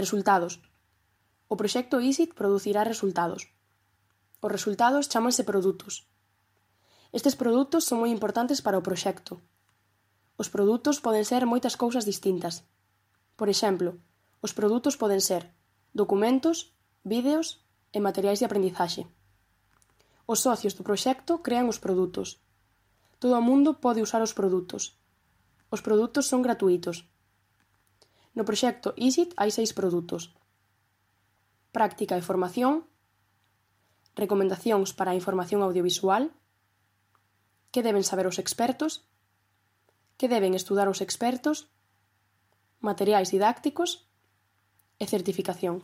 Resultados. O proxecto ISIT producirá resultados. Os resultados chámanse produtos. Estes produtos son moi importantes para o proxecto. Os produtos poden ser moitas cousas distintas. Por exemplo, os produtos poden ser documentos, vídeos e materiais de aprendizaxe. Os socios do proxecto crean os produtos. Todo o mundo pode usar os produtos. Os produtos son gratuítos. No proxecto ISIT hai 6 produtos. Práctica e formación, recomendacións para a información audiovisual, que deben saber os expertos, que deben estudar os expertos, materiais didácticos e certificación.